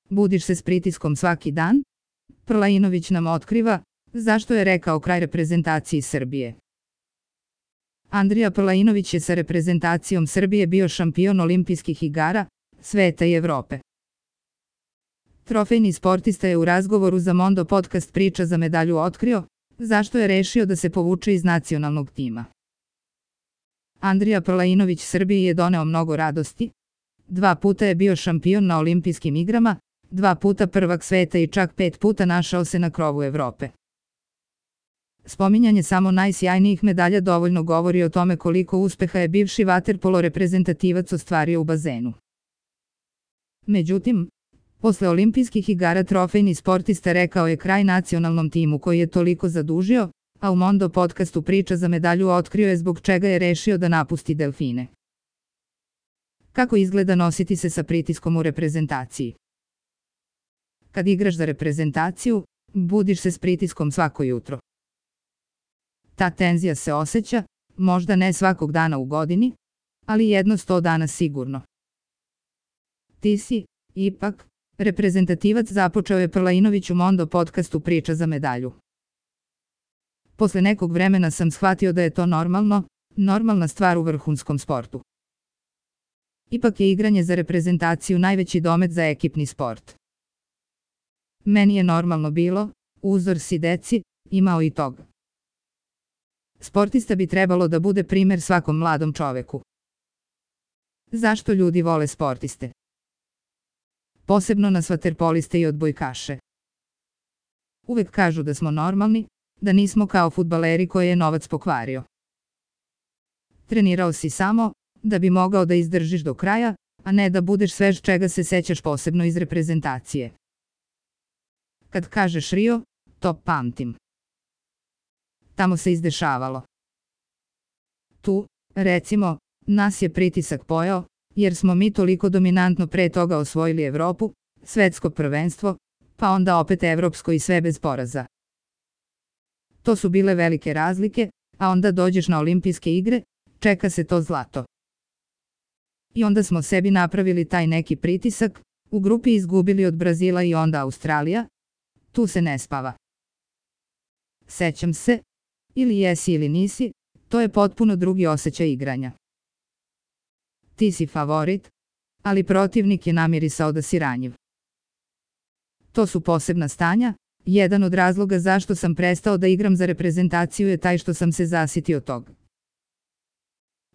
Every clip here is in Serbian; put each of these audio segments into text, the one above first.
Budiš se s pritiskom svaki dan? Prlainović nam otkriva zašto je rekao kraj reprezentaciji Srbije. Andrija Prlainović je sa reprezentacijom Srbije bio šampion olimpijskih igara, sveta i Evrope. Trofejni sportista je u razgovoru za Mondo podcast Priča za medalju otkrio zašto je rešio da se povuče iz nacionalnog tima. Andrija Prlainović Srbiji je doneo mnogo radosti. 2 puta je bio šampion na olimpijskim igrama, 2 puta prvak sveta i čak 5 puta našao se na krovu Evrope. Spominjanje samo najsjajnijih medalja dovoljno govori o tome koliko uspeha je bivši vaterpolo reprezentativac ostvario u bazenu. Međutim, posle olimpijskih igara trofejni sportista rekao je kraj nacionalnom timu koji je toliko zadužio, a u Mondo podcastu Priča za medalju otkrio je zbog čega je rešio da napusti Delfine. Kako izgleda nositi se sa pritiskom u reprezentaciji? Kad igraš za reprezentaciju, budiš se s pritiskom svako jutro. Ta tenzija se osjeća, možda ne svakog dana u godini, ali jedno 100 dana sigurno. Ti si, ipak, reprezentativac, započeo je Prlainović u Mondo podcastu Priča za medalju. Posle nekog vremena sam shvatio da je to normalna stvar u vrhunskom sportu. Ipak je igranje za reprezentaciju najveći domet za ekipni sport. Meni je normalno bilo, uzor si deci, imao i toga. Sportista bi trebalo da bude primer svakom mladom čoveku. Zašto ljudi vole sportiste? Posebno nas vaterpoliste i odbojkaše. Uvek kažu da smo normalni, da nismo kao fudbaleri koje je novac pokvario. Trenirao si samo da bi mogao da izdržiš do kraja, a ne da budeš svež čega se sećaš posebno iz reprezentacije. Kad kažeš Rio, to pamtim. Tamo se izdešavalo. Tu, recimo, nas je pritisak pojeo, jer smo mi toliko dominantno pre toga osvojili Evropu, svetsko prvenstvo, pa onda opet evropsko i sve bez poraza. To su bile velike razlike, a onda dođeš na olimpijske igre, čeka se to zlato. I onda smo sebi napravili taj neki pritisak, u grupi izgubili od Brazila i onda Australija, tu se ne spava. Sećam se, ili jesi ili nisi, to je potpuno drugi osjećaj igranja. Ti si favorit, ali protivnik je namirisao da si ranjiv. To su posebna stanja, jedan od razloga zašto sam prestao da igram za reprezentaciju je taj što sam se zasitio toga.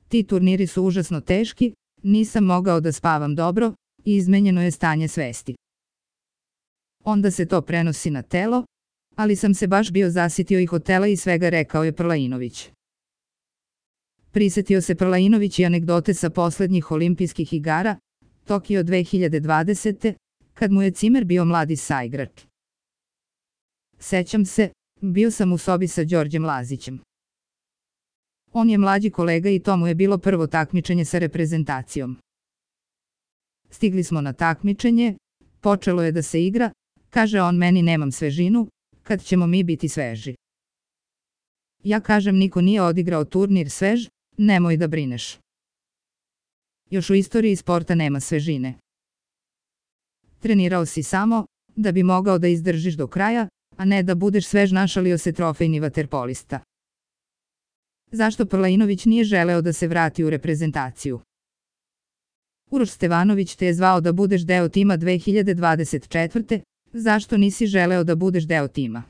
Ti turniri su užasno teški, nisam mogao da spavam dobro i izmenjeno je stanje svesti. Onda se to prenosi na telo, ali sam se baš bio zasitio i hotela i svega, rekao je Prlainović. Prisetio se Prlainović i anegdote sa poslednjih olimpijskih igara, Tokio 2020. Kad mu je Cimer bio mladi saigrač. Sećam se, bio sam u sobi sa Đorđem Lazićem. On je mlađi kolega i to mu je bilo prvo takmičenje sa reprezentacijom. Stigli smo na takmičenje, počelo je da se igra, kaže on meni nemam svežinu, kad ćemo mi biti sveži. Ja kažem niko nije odigrao turnir svež, nemoj da brineš. Još u istoriji sporta nema svežine. Trenirao si samo da bi mogao da izdržiš do kraja, a ne da budeš svež, našalio se trofejni vaterpolista. Zašto Prlainović nije želeo da se vrati u reprezentaciju? Uroš Stevanović te je zvao da budeš deo tima 2024. Zašto nisi želeo da budeš deo tima?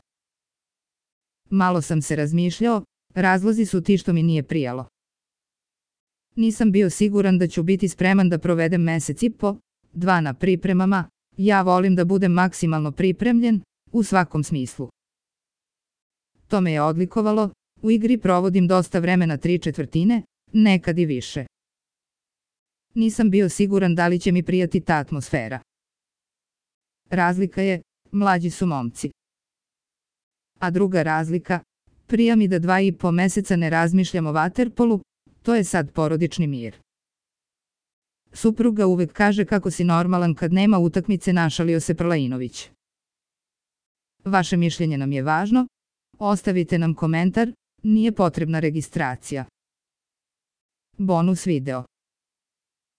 Malo sam se razmišljao, razlozi su ti što mi nije prijalo. Nisam bio siguran da ću biti spreman da provedem mesec i po, 2 na pripremama, ja volim da budem maksimalno pripremljen, u svakom smislu. To me je odlikovalo, u igri provodim dosta vremena 3/4, nekad i više. Nisam bio siguran da li će mi prijati ta atmosfera. Razlika je, mlađi su momci. A druga razlika, prija mi da 2,5 meseca ne razmišljam o vaterpolu, to je sad porodični mir. Supruga uvek kaže kako si normalan kad nema utakmice, našalio se Prlainović. Vaše mišljenje nam je važno, ostavite nam komentar, nije potrebna registracija. Bonus video.